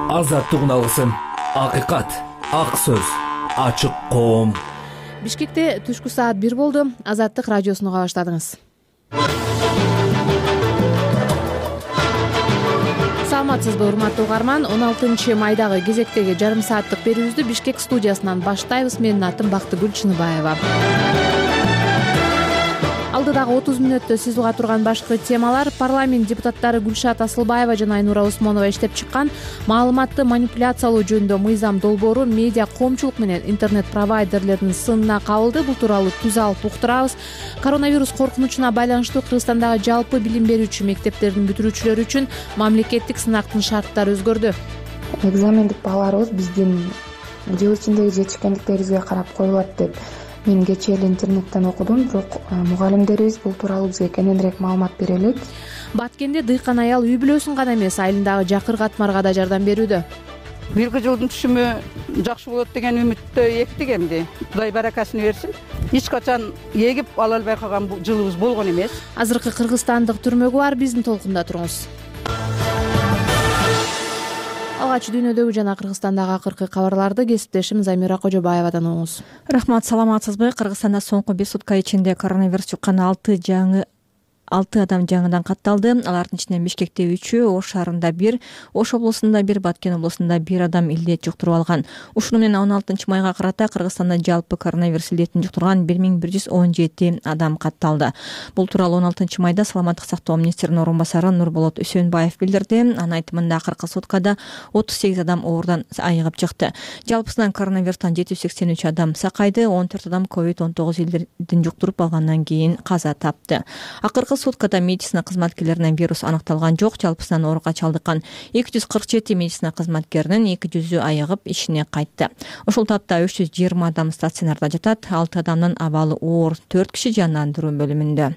азаттыгын алгысың. Акыйкат, ак сөз, ачык коом. Бишкекте түшкү саат 1 болду. Азаттык радиосуну уга баштадыңыз. Саламатсызбы, урматтуу угарман? 16 майдагы кезектеги жарым сааттык берүүбүздү Бишкек студиясынан баштайбыз. Менин атым Бактыгүл Чыныбаева. Алдыдагы 30 мүнөттө сиз уга турган башкы темалар: парламент депутаттары Гүлшат Асылбаева жана Айнура Усмонова иштеп чыккан маалыматты манипуляциялоо жөнүндө мыйзам долбоору медиа коомчулук менен интернет провайдерлердин сынына кабылды. Бул тууралуу түз алып уктурабыз. Коронавирус коркунучуна байланыштуу Кыргызстандагы жалпы билим берүүчү мектептердин бүтүрүүчүлөрү үчүн мамлекеттик сынактын шарттары өзгөрдү. Экзамендик бааларыбыз биздин жыл ичиндеги жетишкендиктерибизге карап коюлат деп мен кечээ эле интернеттен окудум. Бирок мугалимдерибиз бул тууралуу бизге кененирээк маалымат бере элек. Баткенде дыйкан аял үй бүлөсүн гана эмес, айылындагы жакыр катмарга да жардам берүүдө. Бирги жылдын түшүмү жакшы болот деген үмүттө эктик эмди. Кудай баракасын берсин. Эч качан эгип ала албай калган жылыбыз болгон эмес. Азыркы кыргызстандык түрмөгү бар, биздин толкунда туруңуз. Алгач дүйнөдөгү жана Кыргызстандагы акыркы кабарларды кесиптешим Замира Кожобаевадан угуңуз. Рахмат, саламатсызбы? Кыргызстанда соңку 1 сутка ичинде коронавирус жуккан 6 адам жаңыдан катталды. Алардын ичинен Бишкекте 3-ü, Ош шаарында 1, Ош облусунда 1, Баткен облусунда 1 адам илдет жуктуруп алган. Ушуну менен 16 майга карата Кыргызстанда жалпы коронавирус илдетин жуктурган 1117 адам катталды. Бул тууралуу 16 майда Саламаттык сактоо министринин орун басары Нурболот Үсөнбаев билдирди. Анын айтымында акыркы суткада 38 адам оорунан айыгып чыкты. Жалпысынан коронавирустан 783 адам сакайды, 14 адам COVID-19 илдетин жуктуруп алгандан кийин каза тапты. Акыркы суткада медицина кызматкерлеринен вирус аныкталган жок. Жалпысынан ооруга чалдыккан 247 медицина кызматкеринин 200-ü айыгып ишине кайтты. Ошол тапта 320 адам стационарда жатат, 6 адамдын абалы оор, 4 киши жандандыруу бөлүмүндө.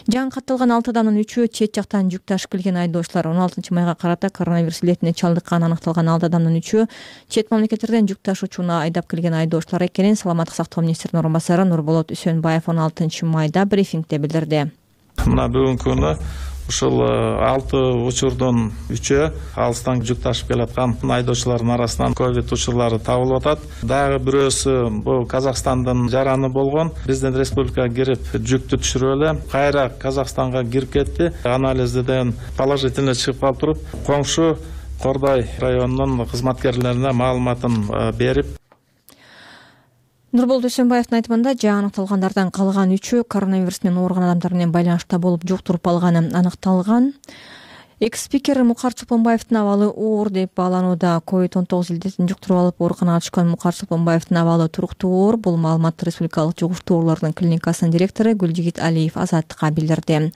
Жаңы катталган 6 адамдын 3-ü чет жактан жүк ташып келген айдоочулар. 16 майга карата коронавирус илетине чалдыккан аныкталган 6 адамдын 3-ü чет мамлекеттерден жүк ташуучуна айдап келген айдоочулар экенин Саламаттык сактоо министринин орун басары Нурболот Үсөнбаев 16 майда брифингде билдирди. Мына бүгүнкү күнү ушул 6 учурдун 3-ü алыстан жүк ташып келаткан айдоочулардын арасынан ковид учурлары табылып атат. Дагы бирөөсү бул Казакстандын жараны болгон. Биздин республикага кирип жүктү түшүрүп эле кайра Казакстанга кирип кетти. Анализден положительный чыгып калып туруп, коңшу Кордой районунун кызматкерлерине маалыматын берип. Нурболот Үсөнбаевдин айтымында жаңы аныкталгандардан калган 3-ü коронавирус менен ооруган адамдар менен байланышта болуп жуктуруп алганы аныкталган. Экс-спикер Мукар Чолпонбаевдин абалы оор деп бааланууда. COVID-19 илдетин жуктуруп алып ооруканага түшкөн Мукар Чолпонбаевдин абалы туруктуу оор. Бул маалыматты Республикалык жугуштуу оорулардын клиникасынын директору Гүлжигит Алиев Азаттыкка билдирди.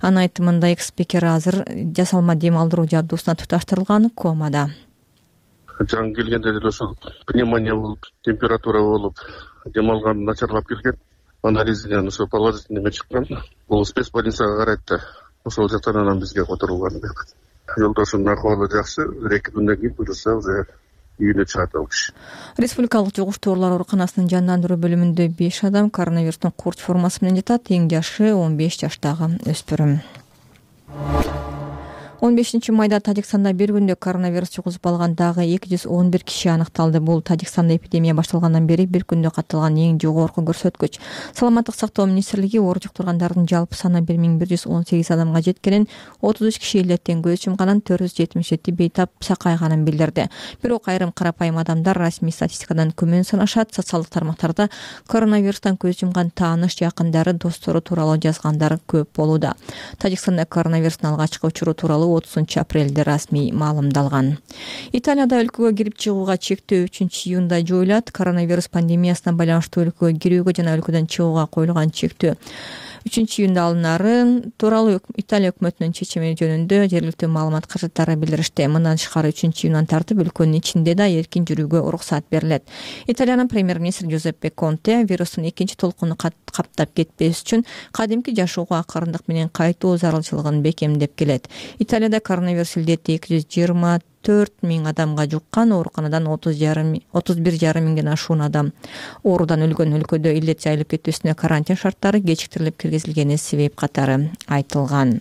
Анын айтымында экс-спикер азыр жасалма дем алдыруу жабдуусуна туташтырылган, комада. Жаңы келгенде деле ошол пневмония болуп, температура болуп, дем алган начарлап келген. Анализинен ошо положительный чыккан. Бул спецбольницага карайт да, ошол жактан анан бизге которулган. Жолдошумдун акыбалы жакшы, 2 күндөн кийин буюрса уже үйүнө чыгат ал киши. Республикалык жугуштуу оорулар ооруканасынын жандандыруу бөлүмүндө 5 адам коронавирустун курч формасы менен жатат. Эң жашы 15 жаштагы өспүрүм. 15 майда Тажикстанда бир күндө коронавирус жугузуп алган дагы 211 киши аныкталды. Бул Тажикстанда эпидемия башталгандан бери бир күндө катталган эң жогорку көрсөткүч. Саламаттык сактоо министрлиги оору жуктургандардын жалпы саны 1118 адамга жеткенин, 33 киши илдеттен көз жумганын, 477 бейтап сакайганын билдирди. Бирок айрым карапайым адамдар расмий статистикадан күмөн санашат. Социалдык тармактарда коронавирустан көз жумган тааныш, жакындары, достору тууралуу жазгандар көп болууда. Тажикстанда коронавирустун алгачкы учуру тууралуу 30 апрелде расмий маалымдалган. Италияда өлкөгө кирип чыгууга чектөө 3-июнда жоюлат. Коронавирус пандемиясына байланыштуу өлкөгө кирүүгө жана өлкөдөн чыгууга коюлган чектөө 3-июнда алынары тууралуу Италия өкмөтүнүн чечими жөнүндө жергиликтүү маалымат каражаттары билдиришти. Мындан тышкары 3-июндан тартып өлкөнүн ичинде да эркин жүрүүгө уруксат берилет. Италиянын премьер-министри Джузеппе Конте вирустун экинчи толкуну каптап кетпеш үчүн кадимки жашоого акырындык менен кайтуу зарылчылыгын бекемдеп келет. Италияда коронавирус илдети 224 миң адамга жуккан, ооруканадан 31,5 миңден ашуун адам оорудан өлгөн. Өлкөдө илдет жайылып кетүүсүнө карантин шарттары кечиктирилип киргизилгени себеп катары айтылган.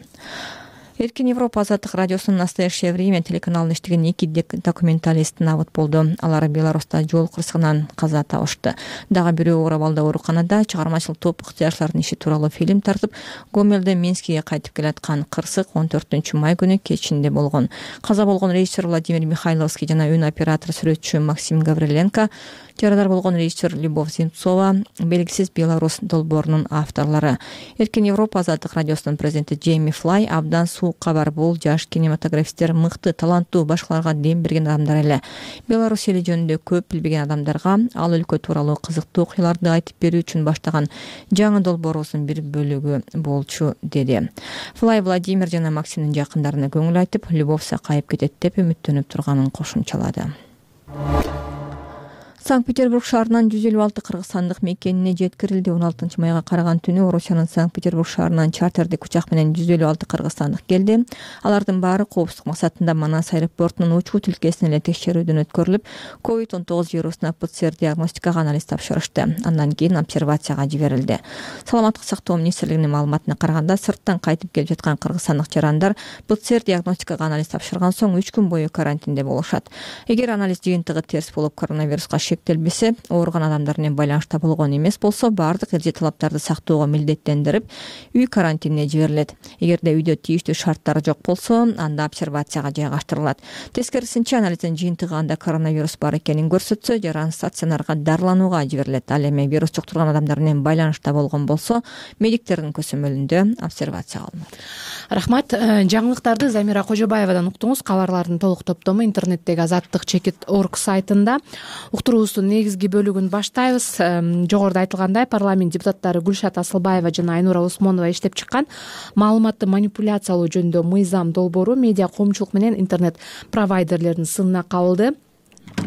Эркин Европа азаттык радиосунун «Настоящее время» телеканалында иштеген 2 документалист набыт болду. Алар Беларуста жол кырсыгынан каза табышты. Дагы бирөө оор абалда ооруканада чыгармачылык топ ыктыярчылардын иши тууралуу фильм тартып, Гомелден Минскиге кайтып келаткан кырсык 14-май күнү кечинде болгон. Каза болгон режиссер Владимир Михайловский жана үн оператор сүрөтчү Максим Гавриленко, жарадар болгон режиссер Любовь Земцова, белгисиз Беларусь долбоорунун авторлору. Эркин Европа азаттык радиосунун президенти Джейми Флай абдан кабар, бул жаш кинематографисттер мыкты, таланттуу, башкаларга дем берген адамдар эле. Беларусь эли жөнүндө көп билбеген адамдарга ал өлкө тууралуу кызыктуу окуяларды айтып берүү үчүн баштаган жаңы долбоорубуздун бир бөлүгү болчу, деди. Флай Владимир жана Максимдин жакындарына көңүл айтып, Любовь сакайып кетет деп үмүттөнүп турганын кошумчалады. Санкт-Петербург шаарынан 156 кыргызстандык мекенине жеткирилди. 16-майга караган түнү Орусиянын Санкт-Петербург шаарынан чартердик учак менен 156 кыргызстандык келди. Алардын баары коопсуздук максатында Манас аэропортунун учуу тилкесине эле текшерүүдөн өткөрүлүп, COVID-19 вирусуна ПЦР диагностикага анализ тапшырышты. Андан кийин обсервацияга жиберилди. Саламаттык сактоо министрлигинин маалыматына караганда, сырттан кайтып келип жаткан кыргызстандык жарандар ПЦР диагностикага анализ тапшырган соң 3 күн бою карантинде болушат. Эгер анализ жыйынтыгы терс болуп коронавируска шектелбесе, ооруган адамдар менен байланышта болгон эмес болсо, баардык эреже талаптарды сактоого милдеттендирип, үй карантинине жиберилет. Эгерде үйдө тийиштүү шарттар жок болсо, анда обсервацияга жайгаштырылат. Тескерисинче, анализдин жыйынтыгы анда коронавирус бар экенин көрсөтсө, жаран стационарга дарыланууга жиберилет. Ал эми вирус жуктурган адамдар менен байланышта болгон болсо, медиктердин көзөмөлүндө обсервацияга алынат. Рахмат. Жаңылыктарды Замира Кожобаевадан уктуңуз. Кабарлардын толук топтому интернеттеги azattik.org сайтында. Уктуруубуздун негизги бөлүгүн баштайбыз. Жогоруда айтылгандай, парламент депутаттары Гүлшат Асылбаева жана Айнура Осмонова иштеп чыккан маалыматты манипуляциялоо жөнүндө мыйзам долбоору медиа коомчулук менен интернет провайдерлердин сынына кабылды.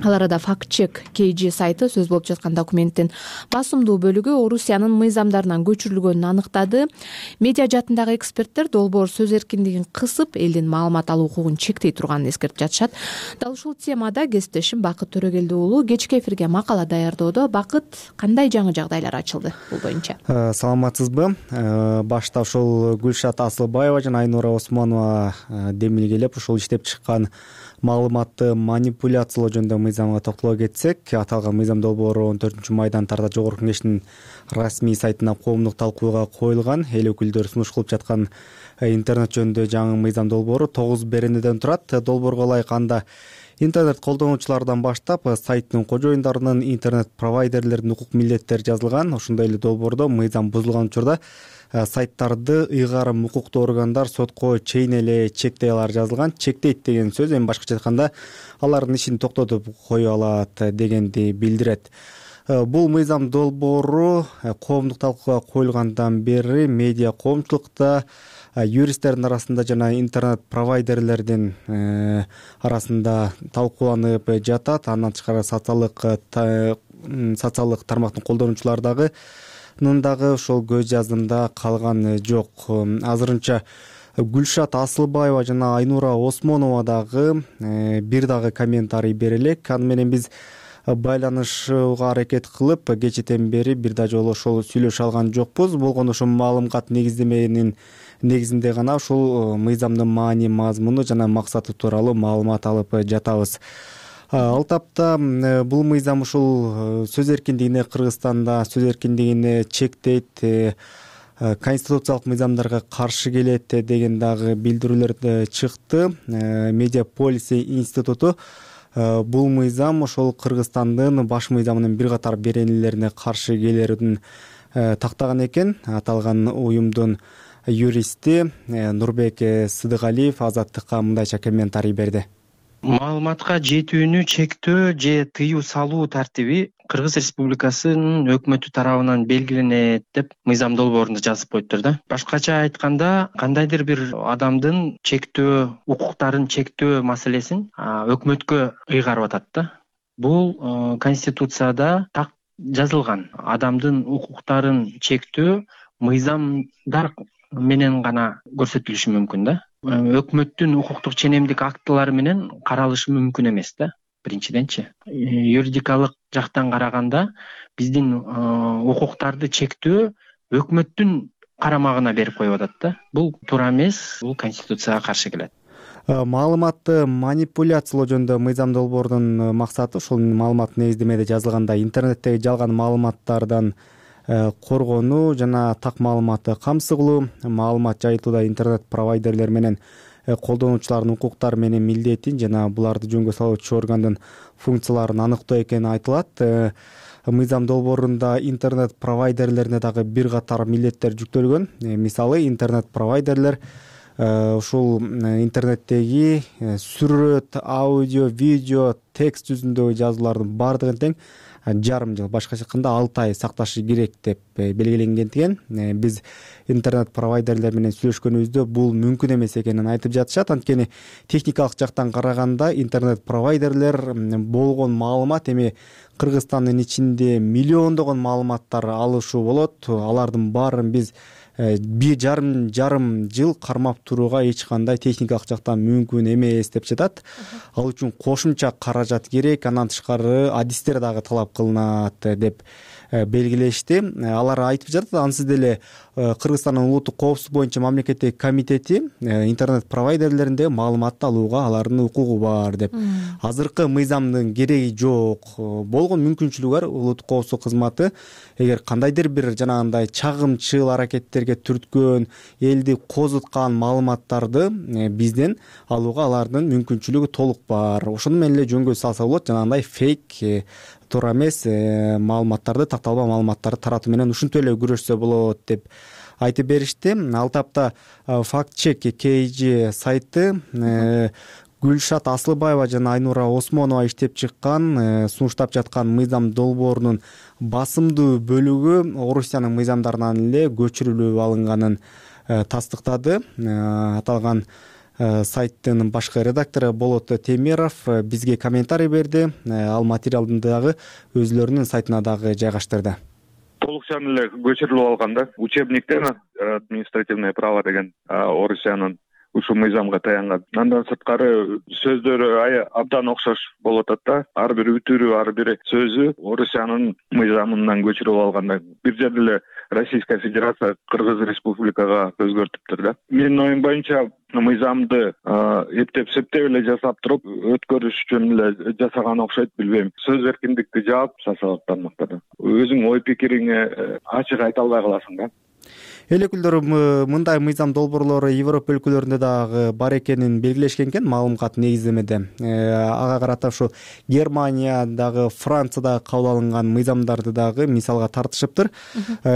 Ал арада факт-чек KG сайты сөз болуп жаткан документтин басымдуу бөлүгү Орусиянын мыйзамдарынан көчүрүлгөнүн аныктады. Медиа жаатындагы эксперттер долбоор сөз эркиндигин кысып, элдин маалымат алуу укугун чектей турганын эскертип жатышат. Дал ушул темада кесиптешим Бакыт Төрөгелди уулу кечки эфирге макала даярдоодо. Бакыт, кандай жаңы жагдайлар ачылды бул боюнча? Саламатсызбы? Башта ушул Гүлшат Асылбаева жана Айнура Осмонова демилгелеп ушул иштеп чыккан маалыматты манипуляциялоо жөнүндө мыйзамга токтоло кетсек, аталган мыйзам долбоору 14-майдан тарда Жогорку Кеңештин расмий сайтына коомдук талкууга коюлган. Эл өкүлдөрү сунуш кылып жаткан интернет жөнүндө жаңы мыйзам долбоору 9 беренеден турат. Долбоорго ылайык анда интернет колдонуучулардан баштап сайттын кожоюндарынын, интернет провайдерлердин укук милдеттери жазылган. Ошондой эле долбоордо мыйзам бузулган учурда сайттарды ыйгарым укуктуу органдар сотко чейин эле чектей алары жазылган. Чектейт деген сөз эми башкача айтканда алардын ишин токтотуп кое алат дегенди билдирет. Бул мыйзам долбоору коомдук талкууга коюлгандан бери медиа коомчулукта, юристтердин арасында жана интернет провайдерлердин арасында талкууланып жатат. Андан тышкары социалдык тармактын колдонуучулары дагы ошол көз жаздымда калган жок. Азырынча Гүлшат Асылбаева жана Айнура Осмонова дагы бир дагы комментарий бере элек. Аны менен биз байланышууга аракет кылып, кечэтен бери бир да жолу ошол сүйлөшө алган жокпуз. Болгону ошол маалымат негиздеменин негизинде гана ушул мыйзамдын маани, мазмуну жана максаты тууралуу маалымат алып жатабыз. Ал тапта бул мыйзам ушул сөз эркиндигине, Кыргызстанда сөз эркиндигине чектейт, конституциялык мыйзамдарга каршы келет деген дагы билдирүүлөр чыкты. Медиаполис институту бул мыйзам ошол Кыргызстандын баш мыйзамынын бир катар беренелерине каршы келерин тактаган экен. Аталган уюмдун юристи Нурбек Сыдыгалиев Азаттыкка мындайча комментарий берди. Маалыматка жетүүнү чектөө же тыюу салуу тартиби Кыргыз Республикасынын өкмөтү тарабынан белгиленет деп мыйзам долбоорунда жазып коюптур да. Башкача айтканда, кандайдыр бир адамдын чектөө, укуктарын чектөө маселесин өкмөткө ыйгарып атат да. Бул Конституцияда так жазылган. Адамдын укуктарын чектөө мыйзамдар менен гана көрсөтүлүшү мүмкүн да. Өкмөттүн укуктук ченемдик актылары менен каралышы мүмкүн эмес да. Биринчиденчи, юридикалык жактан караганда биздин укуктарды чектөө өкмөттүн карамагына берип коюп атат да. Бул туура эмес, бул конституцияга каршы келет. Маалыматты манипуляциялоо жөнүндө мыйзам долбоордун максаты ушул маалымат негиздемеде жазылгандай интернеттеги жалган маалыматтардан коргонуу жана так маалыматты камсыз кылуу, маалымат жайылтууда интернет провайдерлер менен колдонуучулардын укуктары менен милдетин жана буларды жөнгө салуучу органдын функцияларын аныктоо экени айтылат. Мыйзам долбоорунда интернет провайдерлерине дагы бир катар милдеттер жүктөлгөн. Мисалы интернет провайдерлер ушул интернеттеги сүрөт, аудио, видео, текст жүзүндөгү жазуулардын баардыгын тең жарым жыл, башкача айтканда 6 ай сакташы керек деп белгиленгендиген. Биз интернет провайдерлер менен сүйлөшкөнүбүздө бул мүмкүн эмес экенин айтып жатышат. Анткени техникалык жактан караганда интернет провайдерлер болгон маалымат эми Кыргызстандын ичинде миллиондогон маалыматтар алышуу болот. Алардын баарын биз жарым жыл кармап турууга эч кандай техникалык жактан мүмкүн эмес деп жатат. Ал үчүн кошумча каражат керек, андан тышкары адистер дагы талап кылынат деп белгилешти. Алар айтып жатат, ансыз деле Кыргызстандын улуттук коопсуздук боюнча мамлекеттик комитети интернет провайдерлеринде маалыматты алууга алардын укугу бар деп. Азыркы мыйзамдын кереги жок. Болгон мүмкүнчүлүгү бар улуттук коопсуздук кызматы эгер кандайдыр бир жанагындай чагымчыл аракеттерге түрткөн, элди козуткан маалыматтарды бизден алууга алардын мүмкүнчүлүгү толук бар. Ошону менен эле жөнгө салса болот, жанагындай фейк, туура эмес маалыматтарды, такталбаа маалыматтарды таратуу менен ушинтип эле күрөшсө болот деп айтып беришти. Ал тапта фактчек KG сайты Гүлшат Асылбаева жана Айнура Осмонова иштеп чыккан, сунуштап жаткан мыйзам долбоорунун басымдуу бөлүгү Орусиянын мыйзамдарынан эле көчүрүлүп алынганын тастыктады. Аталган сайттын башкы редактору Болот Темиров бизге комментарий берди. Ал материалды дагы өзлөрүнүн сайтына дагы жайгаштырды. Толукчан эле көчүрүлүп алган да. Учебниктен административное право деген Орусиянын ушул мыйзамга таянган. Андан сырткары сөздөрү абдан окшош болуп атат да. Ар бир үтүрү, ар бир сөзү Орусиянын мыйзамынан көчүрүп алганда. Бир жерде эле Российская Федерация Кыргыз Республикага өзгөртүптүр да. Менин оюм боюнча мыйзамды эптеп-септеп эле жасап туруп өткөрүш үчүн эле жасаган окшойт, билбейм. Сөз эркиндикти жаап жасалат тармактарда. Өзүң ой пикириңе ачык айта албай каласың да. Эл өкүлдөрү мындай мыйзам долбоорлору Европа өлкөлөрүндө дагы бар экенин белгилешкен экен маалымат негиздемеде. Ага карата ушу Германиядагы, Франциядагы кабыл алынган мыйзамдарды дагы мисалга тартышыптыр.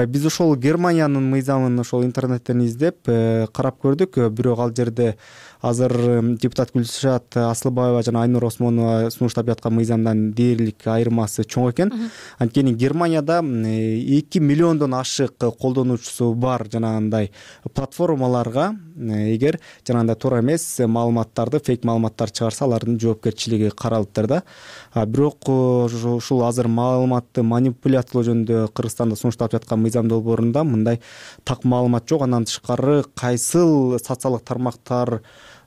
Биз ошол Германиянын мыйзамын ошол интернеттен издеп карап көрдүк. Бирок ал жерде азыр депутат Гүлшат Асылбаева жана Айнура Осмонова сунуштап жаткан мыйзамдан дээрлик айырмасы чоң экен. Анткени Германияда 2 миллиондон ашык колдонуучусу бар жанагындай платформаларга эгер жанагындай туура эмес маалыматтарды, фейк маалыматтар чыгарса, алардын жоопкерчилиги каралыптыр да. Бирок ушул азыр маалыматты манипуляциялоо жөнүндө Кыргызстанда сунуштап жаткан мыйзам долбоорунда мындай так маалымат жок. Андан тышкары кайсыл социалдык тармактар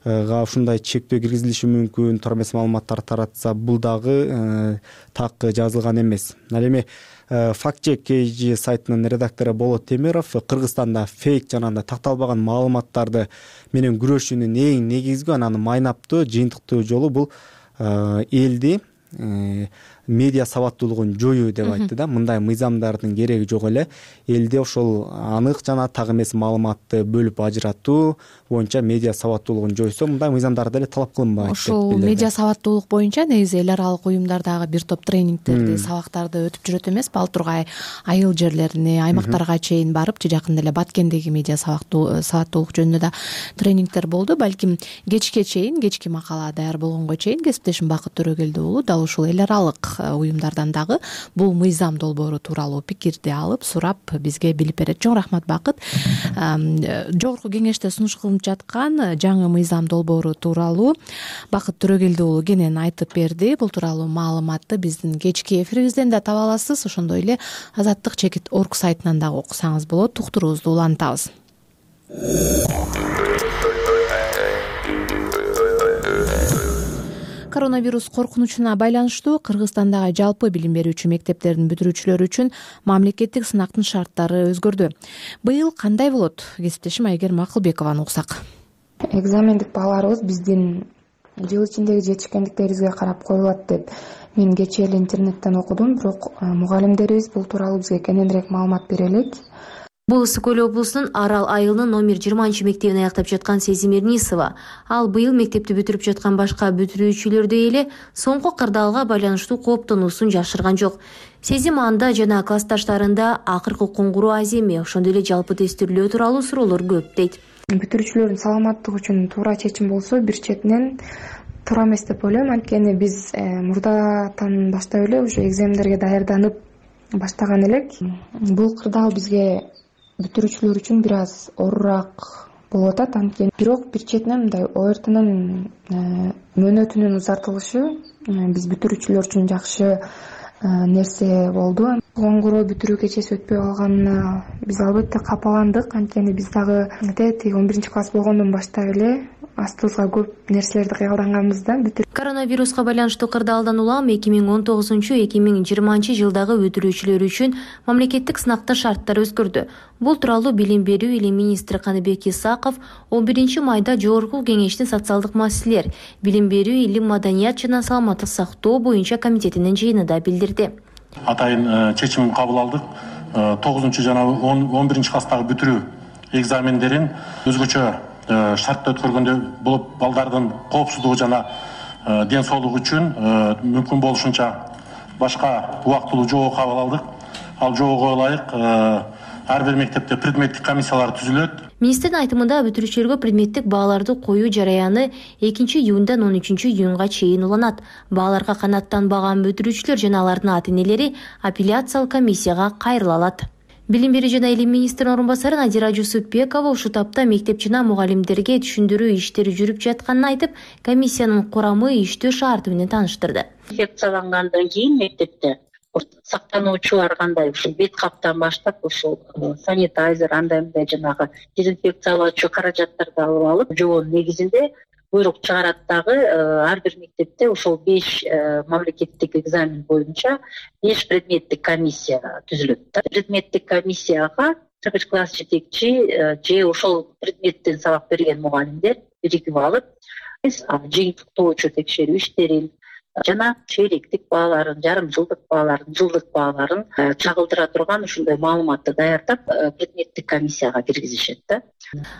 ушундай чектөө киргизилиши мүмкүн, туура эмес маалыматтар таратса, бул дагы так жазылган эмес. Ал эми фактчек KG сайтынын редактору Болот Темиров Кыргызстанда фейк жанагындай такталбаган маалыматтарды менен күрөшүүнүн эң негизги, анан майнаптуу, жыйынтыктуу жолу бул элди медиа сабаттуулугун жоюу деп айтты да. Мындай мыйзамдардын кереги жок эле. Элде ошол анык жана так эмес маалыматты бөлүп ажыратуу боюнча медиа сабаттуулугун жойсо, мындай мыйзамдар деле талап кылынбайт. Ошол медиа сабаттуулук боюнча негизи эл аралык уюмдардагы бир топ тренингтерди, сабактарды өтүп жүрөт эмеспи? Ал тургай айыл жерлерине, аймактарга чейин барып, жакында эле Баткендеги медиа сабаттуулук жөнүндө да тренингтер болду. Балким кечке чейин, кечки макала даяр болгонго чейин кесиптешим Бакыт Төрөгелди уулу дал ушул эл аралык уюмдардан дагы бул мыйзам долбоору тууралуу пикирди алып, сурап бизге билип берет. Чоң рахмат, Бакыт. Жогорку кеңеште сунуш кылынып жаткан жаңы мыйзам долбоору тууралуу Бакыт Төрөгелди уулу кенен айтып берди. Бул тууралуу маалыматты биздин кечки эфирибизден да таба аласыз. Ошондой эле Азаттык.org сайтынан дагы окусаңыз болот. Уктуруубузду улантабыз. Коронавирус коркунучуна байланыштуу Кыргызстандагы жалпы билим берүүчү мектептердин бүтүрүүчүлөрү үчүн мамлекеттик сынактын шарттары өзгөрдү. Быйыл кандай болот? Кесиптешим Айгерим Акылбекованы уксак. Экзамендик бааларыбыз биздин жыл ичиндеги жетишкендиктерибизге карап коюлат деп мен кечээ эле интернеттен окудум, бирок мугалимдерибиз бул тууралуу бизге кененирээк маалымат бере элек. Бул Ысык Көл облусунун Арал айылынын номер 20-мектебин аяктап жаткан Сезим Эрнисова. Ал быйыл мектепти бүтүрүп жаткан башка бүтүрүүчүлөрдөй эле соңку кырдаалга байланыштуу кооптонуусун жашырган жок. Сезим анда жана классташтарында акыркы коңгуроо аз эми, ошондой эле жалпы тестирлөө тууралуу суроолор көп дейт. Бүтүрүүчүлөрдүн саламаттыгы үчүн туура чечим болсо, бир четинен туура эмес деп ойлойм. Анткени биз мурдатан баштап эле ушу экзамендерге даярданып баштаган элек. Бул кырдаал бизге бүтүрүүчүлөр үчүн бир аз оорураак болуп атат. Анткени бирок бир четинен мындай ОРТнын мөөнөтүнүн узартылышы биз бүтүрүүчүлөр үчүн жакшы нерсе болду. Коңгуроо бүтүрүү кечеси өтпөй калганына биз албетте капаландык. Анткени биз дагы 11-класс болгондон баштап эле астыбызга көп нерселерди кыялданганбыз да. Коронавируска байланыштуу кырдаалдан улам 2019-2020 жылдагы бүтүрүүчүлөр үчүн мамлекеттик сынактын шарттары өзгөрдү. Бул тууралуу Билим берүү илим министри Каныбек Исаков 11 майда Жогорку Кеңештин социалдык маселелер, билим берүү, илим, маданият жана саламаттык сактоо боюнча комитетинин жыйынында билдирди. Атайын чечим кабыл алдык. 9 жана 11 класстагы бүтүрүү экзамендерин өзгөчө шартта өткөргөндөй болуп, балдардын коопсуздугу жана ден соолугу үчүн мүмкүн болушунча башка убактылуу жобо кабыл алдык. Ал жобого ылайык ар бир мектепте предметтик комиссиялар түзүлөт. Министрдин айтымында бүтүрүүчүлөргө предметтик бааларды коюу жараяны 2-июндан 13-июнга чейин уланат. Бааларга канааттанбаган бүтүрүүчүлөр жана алардын ата-энелери апелляциялык комиссияга кайрыла алат. Билим берүү жана илим министринин орун басары Надира Жусупбекова ушул тапта мектеп жана мугалимдерге түшүндүрүү иштери жүрүп жатканын айтып, комиссиянын курамы, иштөө шарты менен тааныштырды. Инфекциялангандан кийин мектепте сактануучулар кандай ушул бет каптан баштап ушул санитайзер андай жанагы дезинфекциялоочу каражаттарды алып алып, жобонун негизинде буйрук чыгарат дагы ар бир мектепте ошол 5 мамлекеттик экзамен боюнча 5 предметтик комиссия түзүлөт. Предметтик комиссияга 1 класс жетекчи же ошол предметтен сабак берген мугалимдер биригип алып, жыйынтыктоочу текшерүү иштерин жана чейлектик бааларын, жарым жылдык бааларын, жылдык бааларын чагылдыра турган ушундай маалыматты даярдап предметтик комиссияга киргизишет да.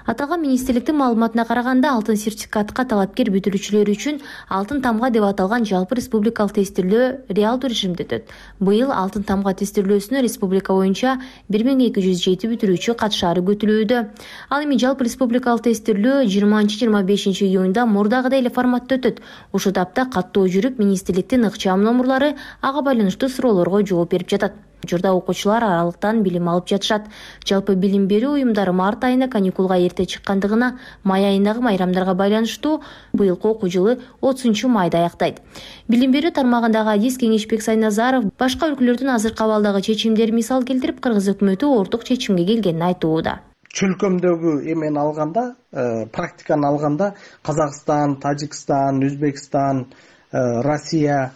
Аталган министрликтин маалыматына караганда, алтын сертификатка талапкер бүтүрүүчүлөр үчүн алтын тамга деп аталган жалпы республикалык тестирлөө реалдуу режимде өтөт. Быйыл алтын тамга тестирлөөсүнө республика боюнча 1207 бүтүрүүчү катышаары күтүлүүдө. Ал эми жалпы республикалык тестирлөө 20-25 июнда мурдагыдай эле форматта өтөт. Ушул тапта каттоо жүрүп, министрликтин ыкчам номурлары ага байланыштуу суроолорго жооп берип жатат. Учурда окуучулар аралыктан билим алып жатышат. Жалпы билим берүү уюмдары март айына каникулга эрте чыккандыгына, май айындагы майрамдарга байланыштуу быйылкы окуу жылы 30 майда аяктайт. Билим берүү тармагындагы адис Кеңешбек Сайназаров башка өлкөлөрдүн азыркы абалдагы чечимдери мисал келтирип, Кыргыз өкмөтү орток чечимге келгенин айтууда. Чөлкөмдөгү эмени алганда, практиканы алганда, Казакстан, Тажикстан, Өзбекстан, Россия,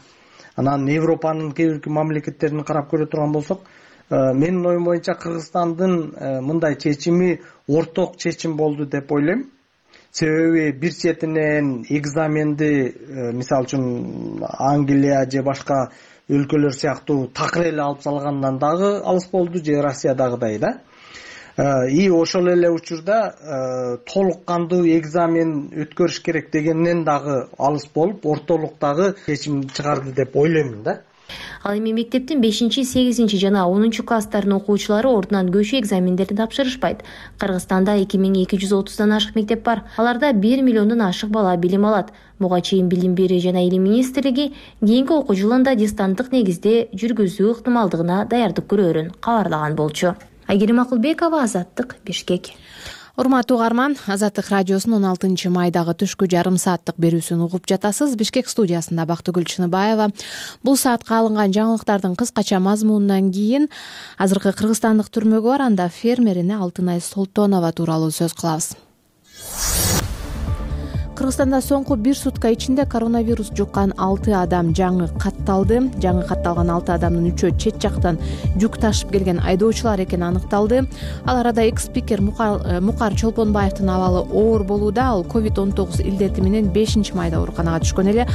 анан Европанын кээ бир мамлекеттерин карап көрө турган болсок, менин оюм боюнча Кыргызстандын мындай чечими орток чечим болду деп ойлойм. Себеби бир четинен экзаменди, мисалы үчүн Англия же башка өлкөлөр сыяктуу такыр эле алып салгандан дагы алыс болду, же Россиядагыдай да. И ошол эле учурда толук кандуу экзамен өткөрүш керек дегенден дагы алыс болуп, ортолуктагы чечим чыгарды деп ойлоймун да. Ал эми мектептин 5-8 жана 10 класстардын окуучулары ордунан көчүү экзамендерин тапшырышпайт. Кыргызстанда 2230дан ашык мектеп бар. Аларда 1 миллиондон ашык бала билим алат. Буга чейин Билим берүү жана илим министрлиги кийинки окуу жылында дистанттык негизде жүргүзүү ыктымалдыгына даярдык көрөөрүн кабарлаган болчу. Айгерим Акылбекова, Азаттык, Бишкек. Урматтуу угарман, Азаттык радиосунун 16 майдагы түшкү жарым сааттык берүүсүн угуп жатасыз. Бишкек студиясында Бактыгүл Чыныбаева. Бул саатка алынган жаңылыктардын кыскача мазмунунан кийин азыркы кыргызстандык түрмөгө барганда фермерине Алтынай Солтонова тууралуу сөз кылабыз. Кыргызстанда соңку бир сутка ичинде коронавирус жуккан 6 адам жаңы катталды. Жаңы катталган 6 адамдын 3-өө чет жактан жүк ташып келген айдоочулар экени аныкталды. Ал арада экс-спикер Мукар Чолпонбаевдин абалы оор болууда. Ал COVID-19 илдети менен 5-майда ооруканага түшкөн эле.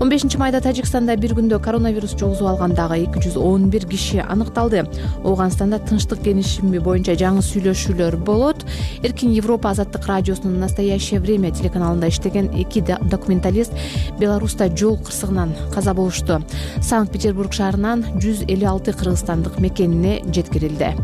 15-майда Тажикстанда бир күндө коронавирус жугузуп алгандагы 211 киши аныкталды. Ооганстанда тынчтык кеңешими боюнча жаңы сүйлөшүүлөр болот. Эркин Европа азаттык радиосунун «Настоящее время» телеканалында иштеген 2 документалист Беларуста жол кырсыгынан каза болушту. Санкт-Петербург шаарынан 156 кыргызстандык мекенине жеткирилди.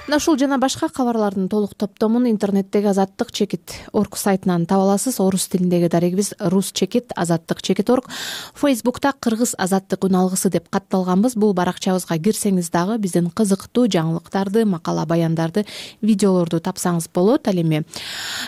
Мына ушул жана башка кабарлардын толук топтомун интернеттеги azattik.org сайтынан таба аласыз. Орус тилиндеги дарегибиз rus.chekit azattik.chekit.org. Facebook'та кыргыз азаттык үн алгысы деп катталганбыз. Бул баракчабызга кирсеңиз дагы биздин кызыктуу жаңылыктарды, макала баяндарды, видеолорду тапсаңыз болот. Ал эми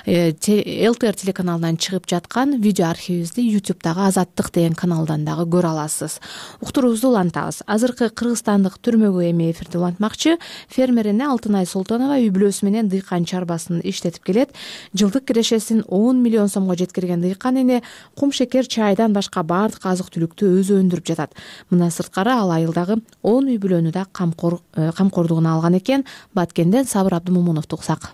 ЛТР телеканалынан чыгып жаткан видео архивибизди YouTube'дагы Азаттык деген каналдан дагы көрө аласыз. Уктуруубузду улантабыз. Азыркы кыргызстандык түрмөгө эми эфирди улантмакчы. Фермерине Алтынай Солтонова үй бүлөсү менен дыйкан чарбасын иштетип келет. Жылдык кирешесин 10 миллион сомго жеткирген дыйкан эне кум шекер, чайдан башка баардык азык-түлүктү өзү өндүрүп жатат. Мына сырткары ал айылдагы 10 үй бүлөнү да камкордугуна алган экен. Баткенден Сабыр Абдымомуновду уксак.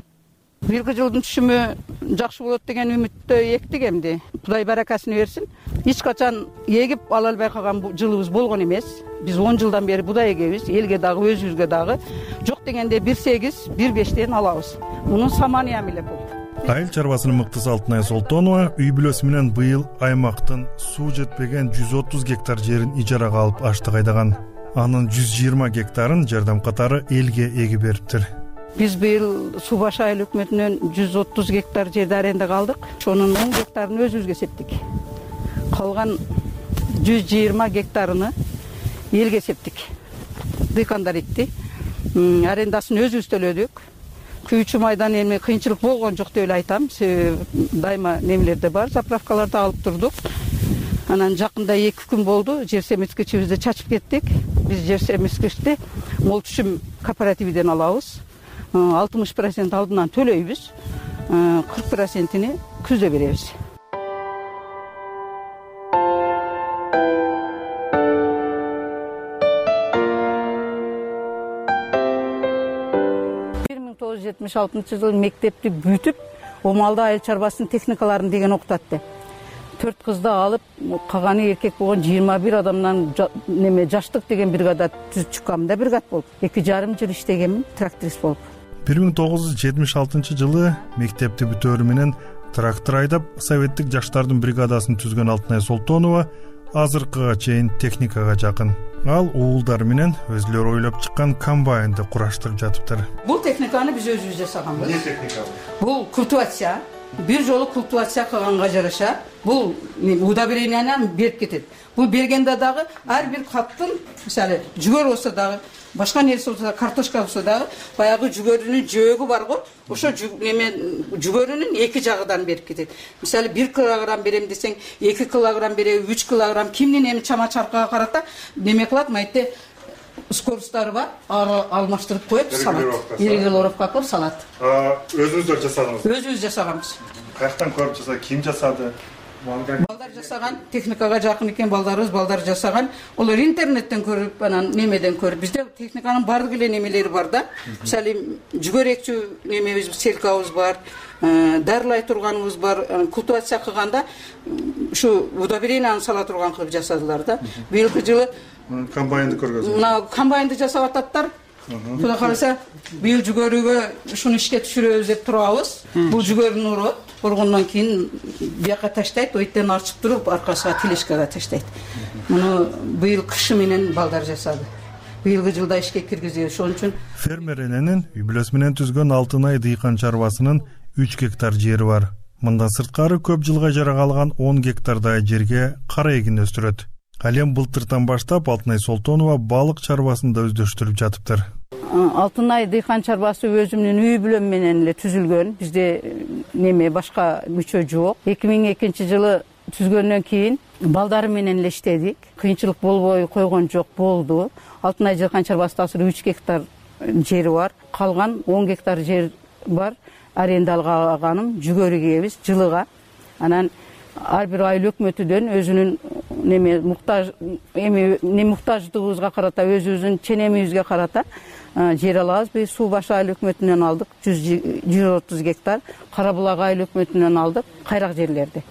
Бирги жылдын түшүмү жакшы болот деген үмүттө эктик эмди. Кудай баракасын берсин. Эч качан эгип ала албай калган жылыбыз болгон эмес. Биз 10 жылдан бери будай эгебиз, элге дагы өзүбүзгө дагы. Жок дегенде 1,8, 1,5тен алабыз. Мунун самания меле бул. Айыл чарбасынын мыктысы Алтынай Солтонова үй бүлөсү менен быйыл аймактын суу жетпеген 130 гектар жерин ижарага алып аштык айдаган. Анын 120 гектарын жардам катары элге эгип бериптир. Биз быйыл Суу башы айыл өкмөтүнөн 130 гектар жерди арендага алдык. Ошонун 10 гектарын өзүбүзгө септик. Калган 120 гектарыны элге септик. Дыйкандар экти. Арендасын өзүбүз төлөдүк. 2-3 айдан эми кыйынчылык болгон жок деп эле айтам. Дайыма немелерде бар, заправкаларда алып турдук. Анан жакында 2 күн болду, жер семиткичибизди чачып кеттик. Биз жер семиткичти мол түшүм кооперативден алабыз. 60% алдынан төлөйбүз. 40%-ни күздө беребиз. жылы мектепти бүтүп, Омалда айыл чарбасынын техникаларын деген окутатты. 4 кызды алып, калганы эркек болгон 21 адамдан жаштык деген бригада түзүп чыккам да, бригад болуп. 2,5 жыл иштегенмин, тракторист болуп. 1976 жылы мектепти бүтөөрү менен трактор айдап, советтик жаштардын бригадасын түзгөн Алтынай Солтонова азыркыга чейин техникага жакын. Ал уулдар менен өзүлөрү ойлоп чыккан комбайнды кураштырып жатыптыр. Бул техниканы биз өзүбүз жасаганбыз. Эмне техника? Бул культивация. Бир жолу культивация кылганга жараша, бул удобренияны берип кетет. Бул бергенде дагы ар бир каптын, мисалы, жүгөр болсо дагы, башка нерсе болсо дагы, картошка болсо дагы, баягы жүгөрүнүн жөөгү бар го, ошо жүгөрүнүн 2 жагынан берип кетет. Мисалы 1 килограмм берем десең, 2 килограмм береби, 3 килограмм кимдин эми чама чаркага карата неме кылат, майте скоростары бар, алмаштырып коюп салат. Регулировка кылып салат. Өзүңүздөр жасадыңыз? Өзүбүз жасаганбыз. Каяктан көрүп жасады? Ким жасады? Балдар жасаган, техникага жакын экен балдар жасаган. Олар интернеттен көрүп, анан немеден көрүп. Бизде техниканын бардык эле немелери бар да. Мисалы, жүгөрөкчү немебиз, селкабыз бар, дарылай турганыбыз бар. Культивация кылганда ушу удобренияны сала турган кылып жасадылар да. Быйылкы жылы комбайнды көргөзүп. Мына комбайнды жасап ататтар. Кудай кааласа, быйыл жүгөрүгө ушуну ишке түшүрөбүз деп турабыз. Бул жүгөрүнүн урот. Болгондон кийин бияка таштайт, ойттен арчып туруп, аркасына тележкага таштайт. Муну быйыл кышы менен балдар жасады. Быйылгы жылда ишке киргизди. Ошон үчүн фермер эненин үй бүлөсү менен түзгөн Алтынай дыйкан чарбасынын 3 гектар жери бар. Мындан сырткары көп жылга жарагалган 10 гектардай жерге кара эгин өстүрөт. Ал эми былтыртан баштап Алтынай Солтонова балык чарбасын да өздөштүрүп жатыптыр. Алтынай дыйкан чарбасы өзүмдүн үй бүлөм менен эле түзүлгөн. Бизде неме башка мүчө жок. 2002 жылы түзгөндөн кийин балдарым менен эле иштедик. Кыйынчылык болбой койгон жок, болду. Алтынай дыйкан чарбасында 3 гектар жери бар. Калган 10 гектар жер бар, аренда алганым жүгөрү кийебиз жылыга. Анан ар бир айыл өкмөтүдөн өзүнүн муктаждыгыбызга карата, өзүбүздүн ченемибизге карата жер алабыз. Биз Суу башы айыл өкмөтүнөн алдык 130 гектар, Кара булак айыл өкмөтүнөн алдык кайрак жерлерди.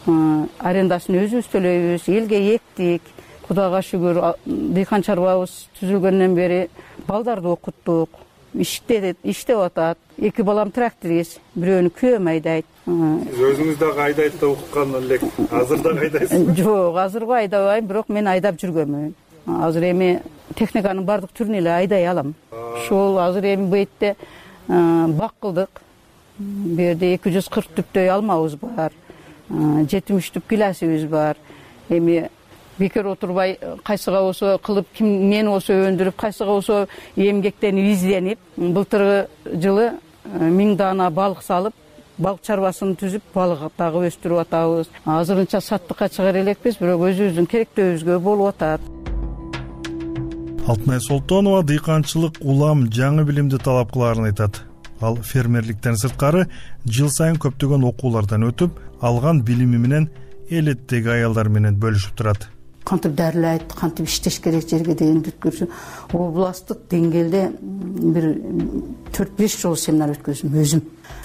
Арендасын өзүбүз төлөйбүз, элге эктик. Кудайга шүгүр, дыйкан чарбабыз түзүлгөндөн бери балдарды окуттук, иштеп атат. 2 балам тракторист, бирөөнү күйөөм айдайт. Сиз өзүңүз дагы айдайт деп уккан элек. Азыр дагы айдайсызбы? Жок, азыркы айдабайм, бирок мен айдап жүргөнмүн. Азыр эми техниканын бардык түрүн эле айдай алам. Ошол азыр эми бетте бак кылдык. Бу жерде 240 түптөй алмабыз бар. 70 түп гиласыбыз бар. Эми бекер отурбай, кайсыга болсо кылып, ким мен болсо өндүрүп, кайсыга болсо эмгектенип, изденип, былтыркы жылы 1000 даана балык салып, балык чарбасын түзүп, балык дагы өстүрүп атабыз. Азырынча саттыкка чыгар элекпиз, бирок өзүбүздүн керектөөбүзгө болуп атат. Алтынай Солтонова дыйканчылык улам жаңы билимди талап кылаарын айтат. Ал фермерликтен сырткары жыл сайын көптөгөн окуулардан өтүп, алган билими менен эл этидеги аялдар менен бөлүшүп турат. Кантип дарылайт, кантип иштеш керек жерге деген бүткүрсү. Областтык деңгээлде бир 4-5 жолу семинар өткөздүм өзүм.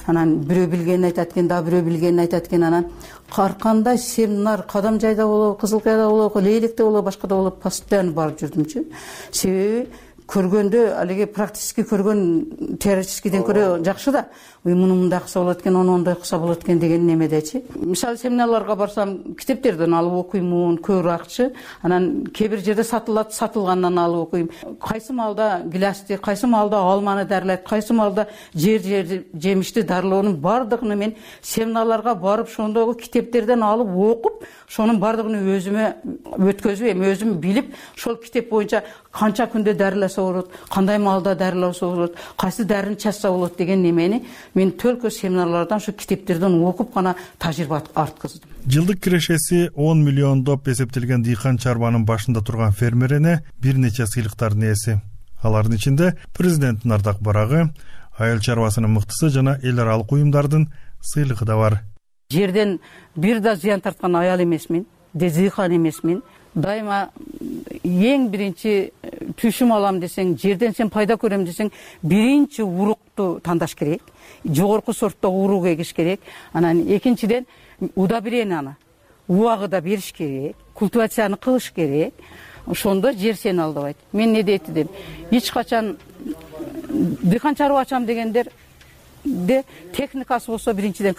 Анан бирөө билгенин айтат экен, дагы бирөө билгенин айтат экен. Анан ар кандай семинар Кадам жайда болобу, Кызыл Каяда болобу, Лейлекте болобу, башкада болобу, постоянно барып жүрдүмчү. Себеби көргөндө алиги практически көргөн теоретическийден көрө жакшы да. Муну мындай кылса болот экен, ону ондой кылса болот экен деген немедечи. Мисалы семинарларга барсам, китептерден алып окуймун, көбүрөөкчү. Анан кээ бир жерде сатылат, сатылгандан алып окуйм. Кайсы маалда гилясты, кайсы маалда алманы дарылайт, кайсы маалда жемишти дарылоонун бардыгын мен семинарларга барып, ошондогу китептерден алып окуп, ошонун бардыгын өзүмө өткөзүп, эми өзүм билип, ошол китеп боюнча канча күндө дарыласа болот, кандай маалда дарыласа болот, кайсы дарыны чачса болот деген немени мен только семинарлардан, ошо китептерден окуп гана тажрыйба арткыздым. Жылдык кирешеси 10 миллион деп эсептелген дыйкан чарбанын башында турган фермерине бир нече сыйлыктардын ээси. Алардын ичинде президенттин ардак барагы, айыл чарбасынын мыктысы жана эл аралык уюмдардын сыйлыгы да бар. Жерден бир да зыян тарткан аял эмесмин, дыйкан эмесмин. Дайыма эң биринчи түшүм алам десең, жерден сен пайда көрөм десең, биринчи урукту тандаш керек. Жогорку сорттогу урук эгиш керек. Анан экинчиден удобренияны, убагыда бериш керек, культивацияны кылыш керек. Ошондо жер сени алдабайт. Мен не дейт эдим? Эч качан дыйкан чарба ачам дегендер техникасы болсо биринчиден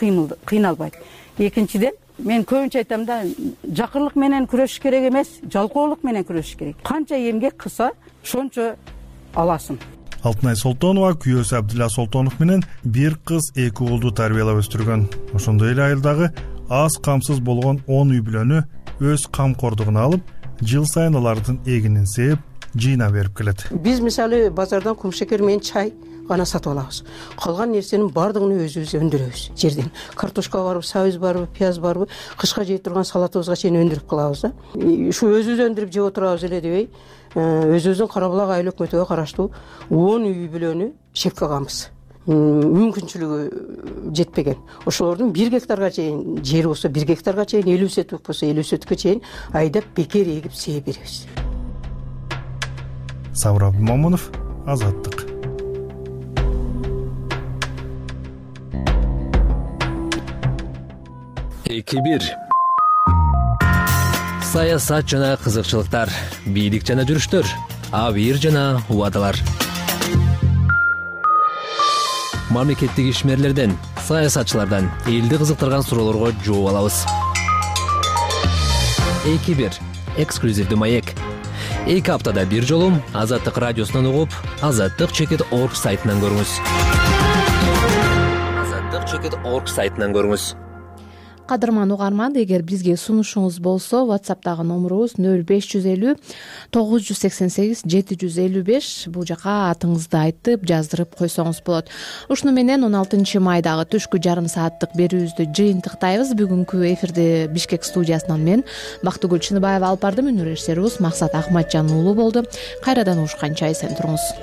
кыйналбайт. Экинчиден мен көбүнчө айтам да, жакырлык менен күрөшүш керек эмес, жалкоолук менен күрөшүш керек. Канча эмгек кылса, ошончо аласың. Алтынай Солтонова күйөөсү Абдилла Солтонов менен бир кыз, 2 уулду тарбиялап өстүргөн. Ошондой эле айылдагы аз камсыз болгон 10 үй бүлөнү өз камкордугуна алып, жыл сайын алардын эгинин сээп, жыйнап берип келет. Биз мисалы базардан кумшекер менен чай гана сатып алабыз. Калган нерсенин бардыгын өзүбүз өндүрөбүз жерден. Картошка барбы, сабыз барбы, пияз барбы, кышка жей турган салатыбызга чейин өндүрүп калабыз да. Ушу өзүбүз өндүрүп жеп отурабыз эле дебей, өзүбүздүн Кара булак айыл өкмөтүгө караштуу 10 үй бүлөнү шек кылганбыз. Мүмкүнчүлүгү жетпеген. Ошолордун 1 гектарга чейин жери болсо 1 гектарга чейин, 50 соток болсо 50 соткко чейин айдап бекер эгип сээп беребиз. Сабыр Абдымамунов, Азаттык. Эки-бир. Саясат жана кызыкчылыктар, бийлик жана жүрүштөр, абийир жана убадалар. Мамлекеттик ишмерлерден, саясатчылардан элди кызыктырган суроолорго жооп алабыз. Эки-бир. Эксклюзивдүү маек. 2 аптада бир жолу Азаттык радиосунан угуп, azattik.org сайтынан көрүңүз. azattik.org сайтынан көрүңүз. Кадырман угарман, эгер бизге сунушуңуз болсо, WhatsApp'тагы номурубуз 0550 988 755. Бул жака атыңызды айтып, жаздырып койсоңуз болот. Ушуну менен 16 майдагы түшкү жарым сааттык берүүбүздү жыйынтыктайбыз. Бүгүнкү эфирде Бишкек студиясынан мен Бактыгүл Чыныбаева алып бардым. Режиссерибиз Максат Ахматжан уулу болду. Кайрадан угушканча эсен туруңуз.